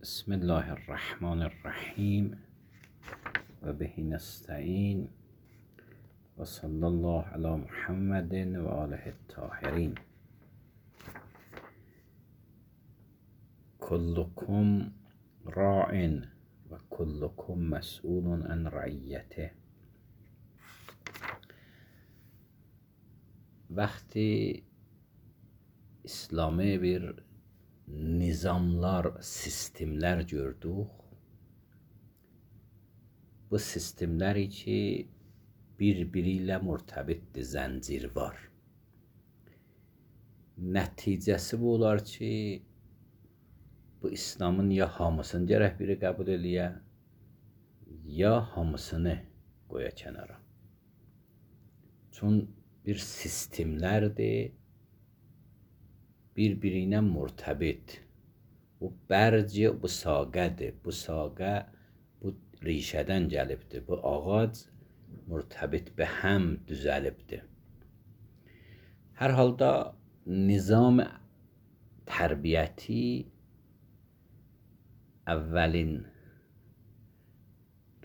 بسم الله الرحمن الرحیم و به نستعین و صلی الله علی محمد و آله الطاهرین. کلکم راع و کلکم مسئول عن رعیته. Vakti İslami bir nizamlar, sistemler gördük. Bu sistemler içi birbiriyle mürtebitdir, zəncir var. Nəticəsi bu olar ki, bu İslamın ya hamısını gərək biri qəbul eləyə, ya hamısını qoya kənara. Çün bir sistemlərdir, bir-birinə mürtəbit. Bu bərci, bu saqədir. Bu saqə, bu rişədən gəlibdir. Bu ağac mürtəbit be həm düzəlibdir. Hər halda nizam tərbiyyəti əvvəlin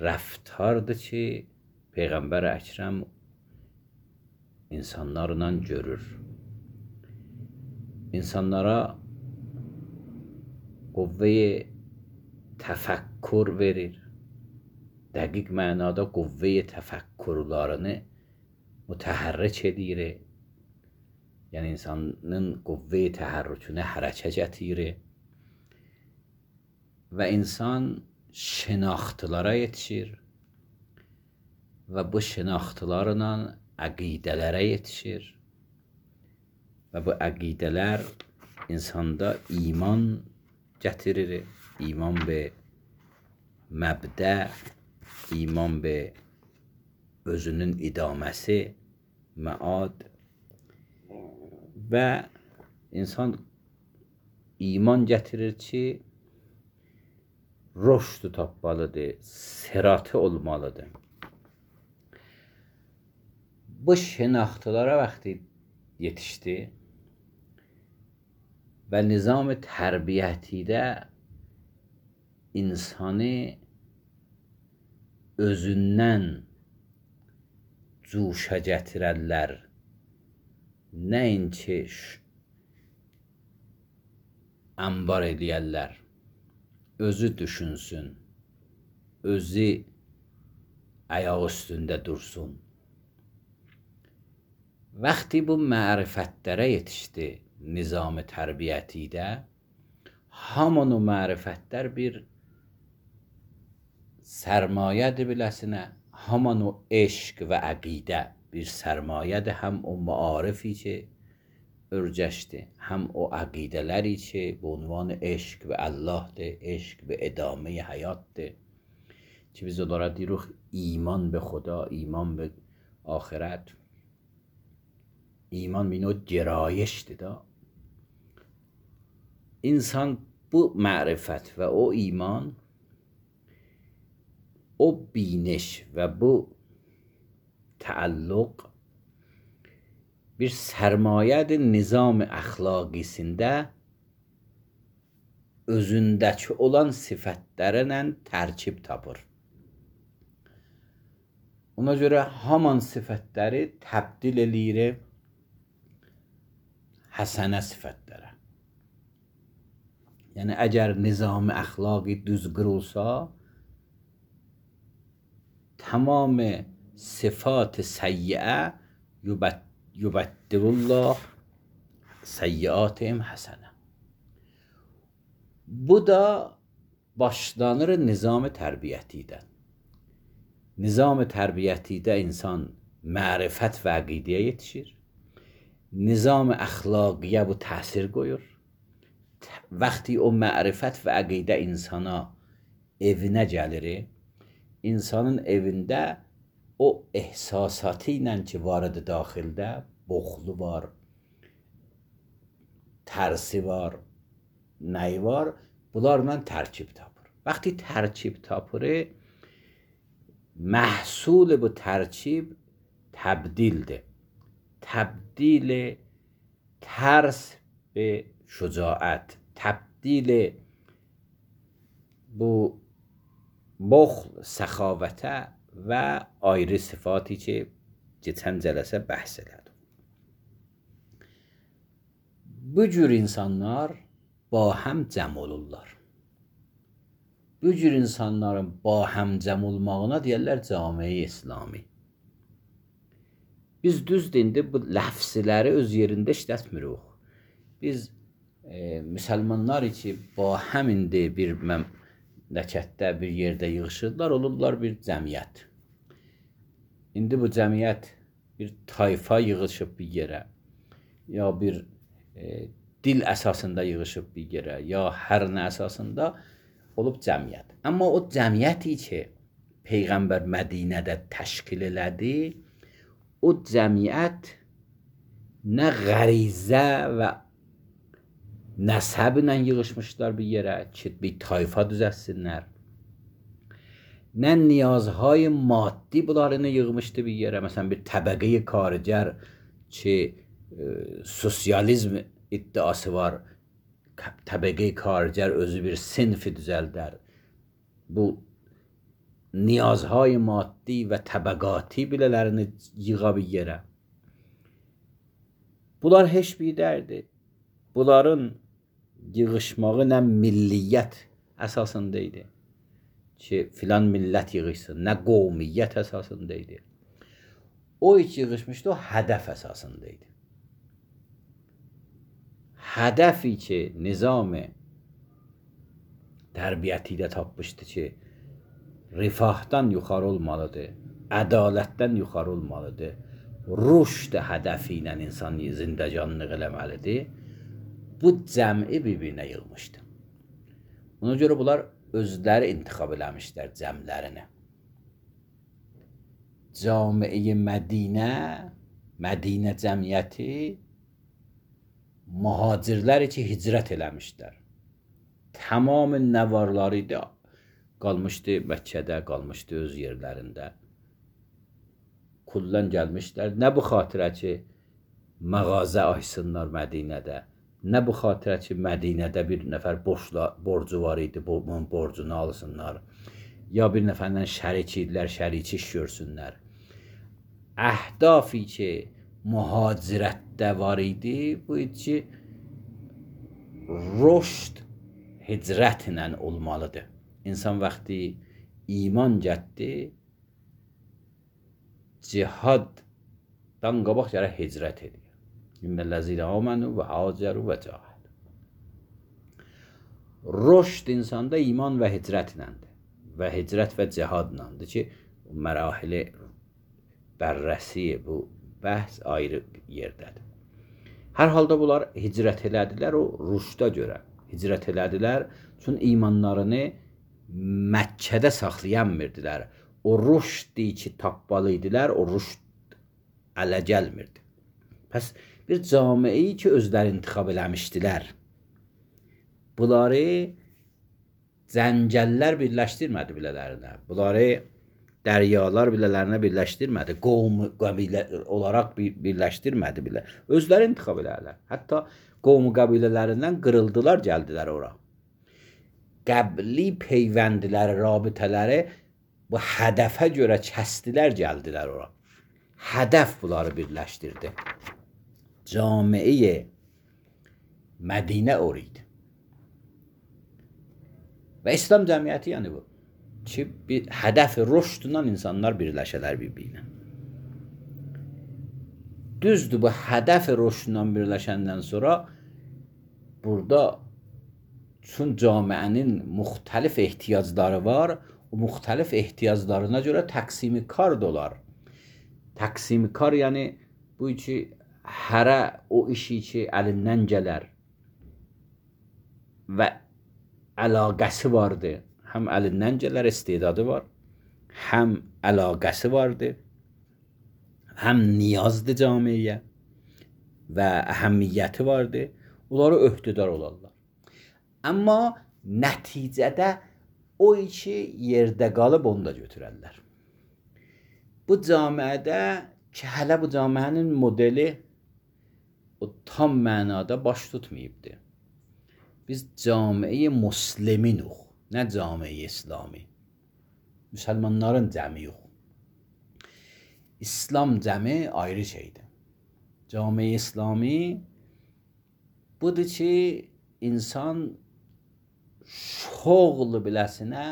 rəftardır ki, Peyğəmbər Əkrəm insanlarla görür. İnsanlara qüvvə-i təfəkkür verir. Dəqiq mənada qüvvə-i təfəkkürlərini mütəhərrik edir. Yəni insanın qüvvə-i təhərrükünə hərəkə gətirir. Və insan şinaxtılara yetişir. Və bu şinaxtılarla əqidələrə yetişir. Və bu əqidələr insanda iman gətirir. İman be məbdə, iman be özünün idaməsi, məad. Və insan iman gətirir ki, rüşd tapmalıdır, səratı olmalıdır. Bu şinaxtılara vaxtı yetişdi və nizam-ı tərbiyyətidə insanı özündən cuşa gətirərlər. Nəinki ambar eləyərlər. Özü düşünsün, özü ayaq üstündə dursun. Vaxti bu mərifətlərə yetişdi nizam-ı tərbiyyətidə, haman o mərifətlər bir sərmayədir biləsinə, haman o eşq və əqidə bir sərmayədir, həm o maarifi ki örgəşdi, həm o əqidələri ki bu unvan eşq və Allahdır, eşq və edamə həyatdır ki biz onlara deyirik iman به خدا، iman به آخرت. ایمان به نوع گرایشdir da. İnsan bu معرفت و o iman, o biniş ve bu تعلق bir sərmayədir nizam əxlaqisində özündəki olan sifətlərlə tərkib tapır. Ona görə haman sifətləri təbdil eləyir həsənə sifətlərə. Yəni əgər nizam-ı əxlaqi düz qırılsa, tamam sifat səyyiə yubəddilullah səyyiatihim həsənə. Bu da başlanır nizam-ı tərbiyyətidən. Nizam-ı tərbiyyətidə insan mərifət və əqidəyə yetişir. Nizam-ı əxlaqiyə bu təsir qoyur. Vaxti o mərifət və əqidə insana evinə gəlir, insanın evində o ehsasatı ilə ki vardı daxildə, boxlu var, tərsi var, nəyi var, bunlarla tərkib tapır. Vaxti tərkib tapır, məhsul bu tərkib təbdildir. Təbdil tərs به شجاعت، تبدیل bu bol səxavətə və ayrı sıfatı ki, geçən cələsə bəhs elədim. Bu cür insanlar ba həm cəm olurlar. Bu cür insanların ba həm cəm olmağına deyərlər cami-i İslami. Biz düzdür, indi bu ləfsləri öz yerində işlətmirik. Biz müsəlmanlar ki, ba həm indi bir məmləkətdə, bir yerdə yığışırlar, olurlar bir cəmiyyət. İndi bu cəmiyyət bir tayfa yığışıb bir yerə, ya bir dil əsasında yığışıb bir yerə, ya hər nə əsasında olub cəmiyyət. Amma o cəmiyyəti ki, Peyğəmbər Mədinədə təşkil elədi, o cəmiyyət nə qərizə və nəsəblə yığışmışlar bir yerə ki, bir tayfa düzəlsinlər. Nə niyazهای maddi bunlarını yığmışdı bir yerə. Məsələn, bir təbəqə-i karigər ki, sosializm iddiası var. Təbəqə-i karigər özü bir sinfi düzəldər. Bu niyazهای maddi və təbəqati bilələrini yığa bir yerə. Bunlar heç bir dərdir. Bunların yığışmağı nə milliyyət əsasında idi ki, filan millət yığışsın, nə qovmiyyət əsasında idi. O hiç yığışmışdı, o hədəf əsasında idi. Hədəfi ki, nizam-ı tərbiyyəti də tapmışdı ki, rifahdan yuxarı olmalıdır, ədalətdən yuxarı olmalıdır, rüşd hədəfi ilə insan zindəcanlıq eləməlidir. Bu cəmi bir-birinə yığmışdı. Ona görə bunlar özləri intiqab eləmişlər cəmlərini. Cami-i Mədinə, Mədinə cəmiyyəti mühacirləri ki, hicrət eləmişlər. Tamam nəvarları idi, qalmışdı Məkkədə, qalmışdı öz yerlərində. Kullan gəlmişlər. Nə bu xatirə ki, məğazə açsınlar Mədinədə. Nə bu xatirə ki, Mədinədə bir nəfər borcu var idi, bunun borcunu alsınlar. Ya bir nəfərlə şərik idilər, şəriçi iş görsünlər. Əhdafi ki, mühacirətdə var idi, bu idi ki, rüşd hicrətlə olmalıdır. İnsan vaxtı iman gətdi, cihaddan qabaq gərək hicrət edir. İnnellezine amenu ve haceru ve cahadu. Rüşd insanda iman və hicrətləndir. Və hicrət və cihadlandır ki, mərahili bərrəsi bu bəhs ayrı yerdədir. Hər halda bunlar hicrət elədilər o rüşdə görə. Hicrət elədilər, çünki imanlarını Məkkədə saxlayanmirdilər. O rüşdi ki, tapmalı idilər, o rüşd ələ gəlmirdi. Pəs bir camiyi ki, özləri intiqab eləmişdilər. Bunları zəncəllər birləşdirmədi bilələrinə. Bunları dəryalar bilələrinə birləşdirmədi. Qovm qəbilə olaraq birləşdirmədi bilə. Özləri intiqab elədilər. Hətta qovm qəbilələrindən qırıldılar, gəldilər ora. Qəbli peyvəndləri, rabitələri bu hədəfə görə kəsdilər, gəldilər ora. Hədəf bunları birləşdirdi. Cami-i Mədinə o idi. Və İslam cəmiyyəti yəni bu. Ki, bir hədəf-i rüşdundan insanlar birləşələr bir-birinə. Düzdür, bu hədəf-i rüşdundan birləşəndən sonra burada çün camiənin müxtəlif ehtiyacları var. O müxtəlif ehtiyaclarına görə təqsimi kar da olar. Təqsimi kar yəni bu ki, hərə o işi ki, əlindən gələr və əlaqəsi vardır. Həm əlindən gələr, istedadı var, həm əlaqəsi vardır, həm niyazdır camiyə və əhəmiyyəti vardır. Onları öhdədar olarlar. Amma nəticədə o iki yerdə qalıb onu da götürərlər. Bu camiədə ki, hələ bu camiənin modeli o tam mənada baş tutmayıbdır. Biz cami-i müsliminuq. nə cami İslami. Müsəlmanların cəmi yox. İslam cəmi ayrı şeydir. Cami İslami budur ki, insan şoğlu biləsinə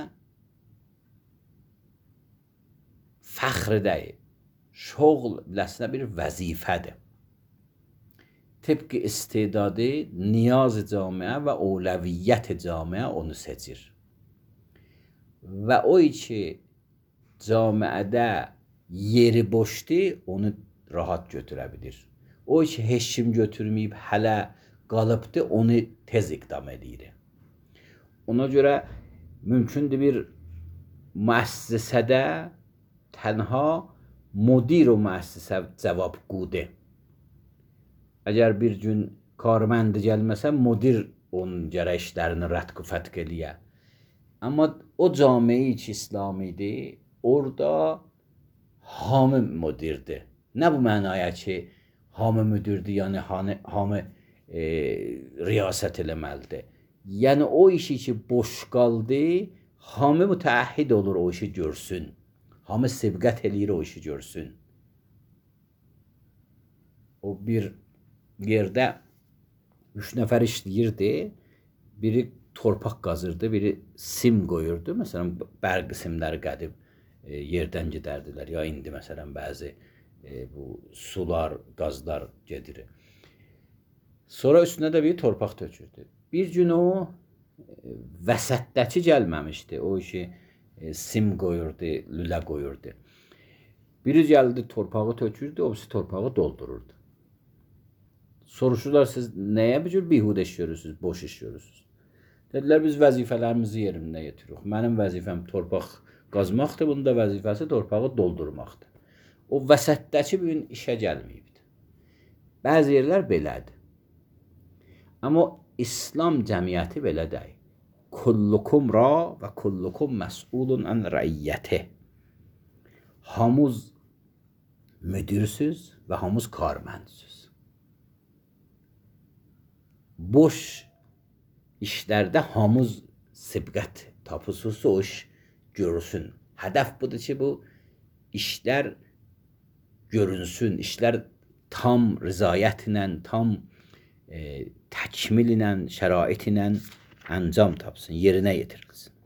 fəxr deyil. Şoğl biləsinə bir vəzifədir. Tıpkı istedadı, niyaz-ı camiə və əvləviyyət-i camiə onu seçir. Və o ki, camiədə yeri boşdur, onu rahat götürə bilir. O ki, heç kim götürməyib, hələ qalıbdır, onu tez iqdam edir. Ona görə mümkündür bir müəssisədə tənha müdir o müəssisə cavabgodur. Əgər bir gün karməndi gəlməsə, müdir onun gərək işlərini rədq-ı fətq eləyə. Amma o camiyi ki, İslamidir, orada hamı müdirdir. Nə bu mənaya ki, hamı müdirdir, yəni hamı riyasət eləməlidir. Yəni o işi ki, boş qaldı, hamı mütəəhhid olur o işi görsün. Hamı sibqət eləyir o işi görsün. O bir yerdə 3 nəfər işləyirdi, biri torpaq qazırdı, biri sim qoyurdu. Məsələn, bərq simləri qədim yerdən gedərdilər. Ya indi məsələn bəzi bu sular, qazlar gedir. Sonra üstünə də bir torpaq tökürdü. Bir gün o vəsətdəki gəlməmişdi. O işi sim qoyurdu, lülə qoyurdu. Biri gəldi torpağı tökürdü, o birisi torpağı doldururdu. Soruşurlar, siz nəyə bir cür bihudə iş görürsünüz, boş iş görürsünüz? Dedilər, biz vəzifələrimizi yerində yetiririk. Mənim vəzifəm torpaq qazmaqdır, bunun da vəzifəsi torpağı doldurmaqdır. O vəsətdəki bir gün işə gəlməyibdir. Bəzi yerlər belədir. Amma İslam cəmiyyəti belə deyil. Kullukum ra və kullukum məs'ulun ən rəiyyəti. Hamuz müdirsüz və hamuz karməndsüz. Boş işlərdə hamuz sibqət tapısız o iş görürsün. Hədəf budur ki, bu işlər görünsün, işlər tam rızayətlə, tam təkmil ilə, şərait ilə əncam tapsın, yerinə yetirilsin.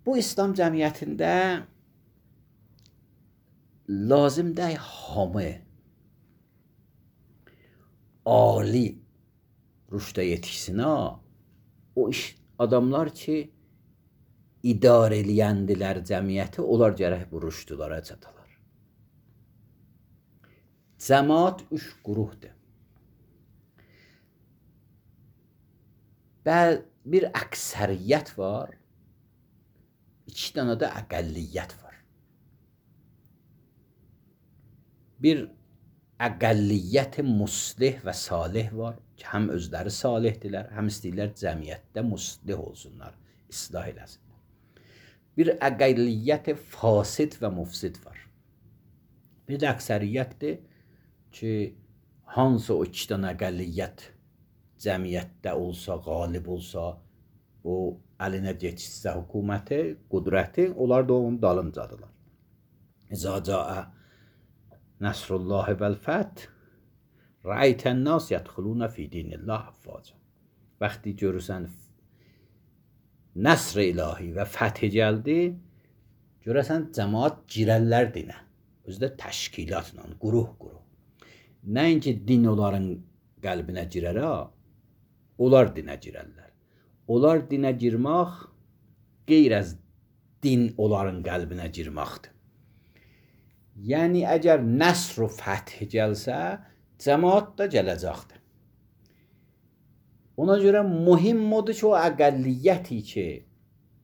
Bu İslam cəmiyyətində lazımdır hamı ali rüşdə yetişsin. O iş adamlar ki, idarə eləyəndilər cəmiyyəti, onlar gərək bu rüşdülara çatalar. Cəmaat 3 qruhdur. Bir əksəriyyət var, 2 dənə də əqəlliyyət var. Bir əqəlliyyət muslih və salih var ki, həm özləri salihdirlər, həm istəyirlər cəmiyyətdə muslih olsunlar, islah eləsinlər. Bir əqəlliyyət fasid və mufsid var. Bir də əksəriyyətdir ki, hansı o 2 dənə əqəlliyyət cəmiyyətdə olsa, qalib olsa, o əlinə geçsə hökuməti, qudrəti, onlar da onun dalıncadılar. İzə cəə Nəsrullahi vəl-fəth rəaytən nas yədxuluna fi dinillah əfvaca. Vaxtı görürsən nəsr ilahi və fəth gəldi, görürsən cəmaat girərlər dinə. Özü də təşkilatla, quruh-quruh. Nəinki din onların qəlbinə girər, onlar dinə girərlər. Onlar dinə girmək qeyr az din onların qəlbinə girməkdir. Yəni, əgər nəsr-u fəth gəlsə, cəmaat da gələcəkdir. Ona görə mühim odur ki, o əqəlliyyəti ki,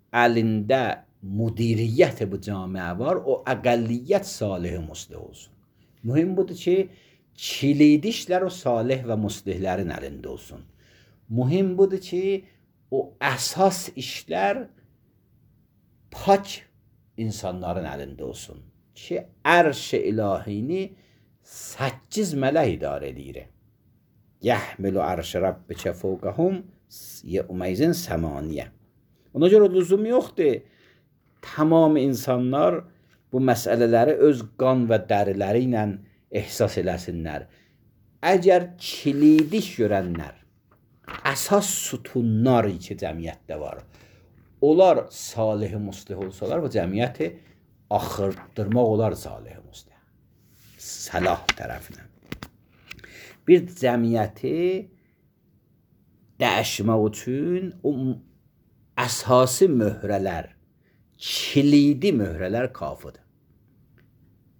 əlində müdiriyyət bu camiə var, o əqəlliyyət salih-i muslih olsun. Mühim budur ki, kilidi işlər o salih və muslihlərin əlində olsun. Mühim budur ki, o əsas işlər pak insanların əlində olsun. Ki, ərş-i ilahini 8 mələk idarə edir. Yəhmilu ərş-i rabbikə fəvqəhum yevməyzin səmaniyə. Ona görə lüzum yoxdur tamam insanlar bu məsələləri öz qan və dəriləri ilə ehsas eləsinlər. Əgər kilidi görənlər, əsas sütunlar ki cəmiyyətdə var, onlar salih muslih olsalar, bu cəmiyyəti axırdırmaq olar salih muslih. Səlah tərəfinə. Bir cəmiyyəti dəyişmək üçün o əsası möhrələr, kilidi möhrələr kafidir.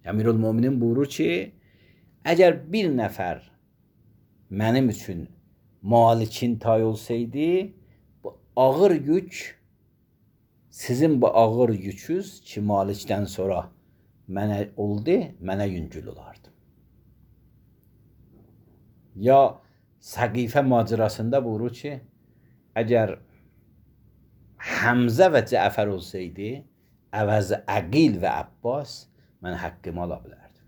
Əmirülmöminin buyurur ki, əgər bir nəfər mənim üçün malikin tay olsaydı, bu ağır yük, sizin bu ağır yüküz ki malikdən sonra mənə oldu, mənə yüngül olardı. Ya Səqifə macirasında buyurur ki, əgər Həmzə və Cəfər olsaydı, əvəz Əqil və Abbas, mən haqqımı ala bilərdim.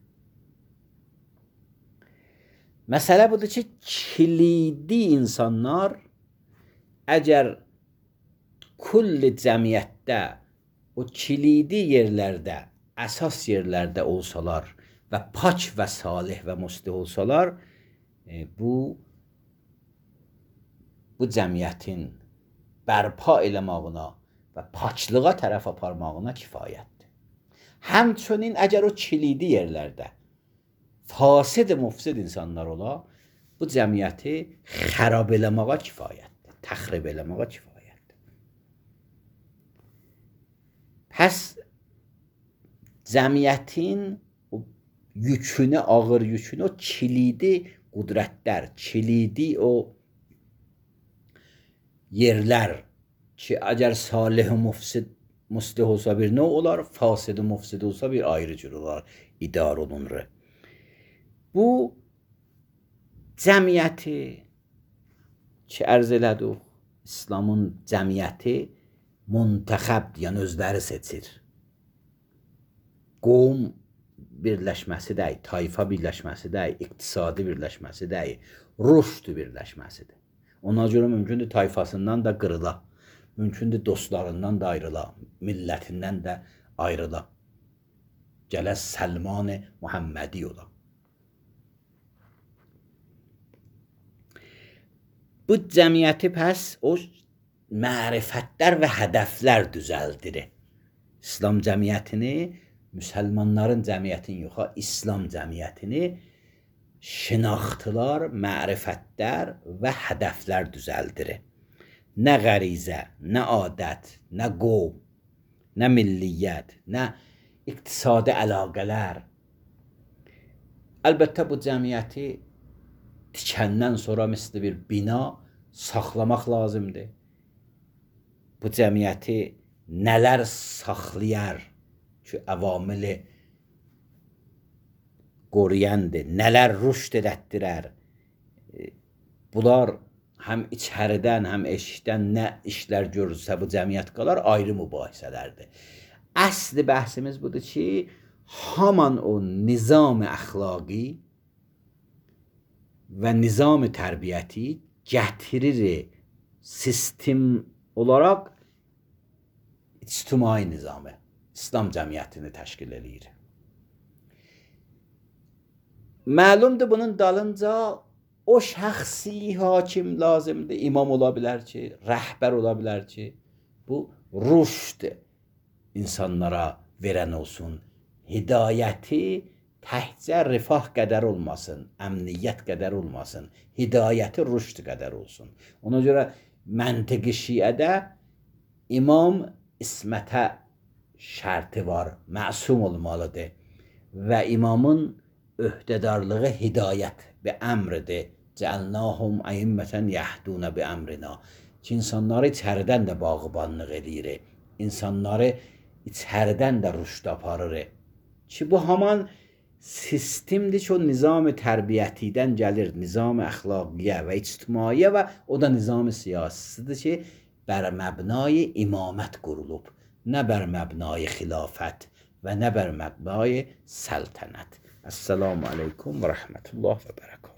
Məsələ budur ki, kilidi insanlar əgər kulli cəmiyyətdə o kilidi yerlərdə, əsas yerlərdə olsalar və pak və salih və muslih olsalar, bu cəmiyyətin bərpa eləmağına və paklığa tərəf aparmağına kifayətdir. Həmçinin əgər o kilidi yerlərdə fasid mufsid insanlar ola, bu cəmiyyəti xərab eləməyə kifayətdir, təxrib eləməyə kifayətdir. Pəs cəmiyyətin o yükünü, ağır yükünü, o kilidi qudrətlər, kilidi o yerlər ki, əgər salih mufsid muslih olsa bir növ olar, fasid mufsid olsa bir ayrı cür olar, idar olunur. Bu cəmiyyəti ki, ərz elədik, İslamın cəmiyyəti müntəxəbdir, yəni özləri seçir. Qovm birləşməsi deyil, tayfa birləşməsi deyil, iqtisadi birləşməsi deyil, rüşd birləşməsidir. Ona görə mümkündür tayfasından da qırıla, mümkündür dostlarından da ayrıla, millətindən də ayrıla. Gələ Səlman-ı Muhammədi ola. Bu cəmiyyəti pəs o mərifətlər və hədəflər düzəldir. İslam cəmiyyətini, müsəlmanların cəmiyyətini yox, İslam cəmiyyətini şinaxtılar, mərifətlər və hədəflər düzəldir. Nə qərizə, nə adət, nə qovm, nə milliyyət, nə iqtisadi əlaqələr. Əlbəttə bu cəmiyyəti tikəndən sonra misli bir bina saxlamaq lazımdır. Bu cəmiyyəti nələr saxlayar ki, əvamili qoruyandır, nələr rüşd edətdirər. Bunlar həm içəridən, həm eşikdən nə işlər görürsə bu cəmiyyət qalar, ayrı mübahisələrdir. Əsli bəhsimiz budur ki, haman o nizam-ı əxlaqi və nizam-ı tərbiyyəti gətirir sistem olaraq ictimai nizamı, İslam cəmiyyətini təşkil edir. Məlumdur bunun dalınca o şəxsi hakim lazımdır, imam ola bilər ki, rəhbər ola bilər ki, bu rüşd insanlara verən olsun, hidayəti təhcə rifah qədər olmasın, əmniyyət qədər olmasın, hidayəti rüşd qədər olsun. Ona görə məntiqi şiədə imam ismətə şərti var, məsum olmalıdır və imamın öhdədarlığı hidayət və əmridir. Cəalnahum əimmətən yəhdunə bi əmrina. Ki, insanları içəridən də bağıbanlıq edir, insanları içəridən də rüşd aparır. Ki, bu haman sistemdir ki, o nizam-ı tərbiyyətidən gəlir, nizam-ı əxlaqiyyə və ictimaiyə və o da nizam-ı siyasisidir ki, bər məbnayı imamət qurulub, nə bər məbnayı xilafət və nə bər məbnayı səltənət. Əssəlamu aleykum və rəhmətullah və bərəkət.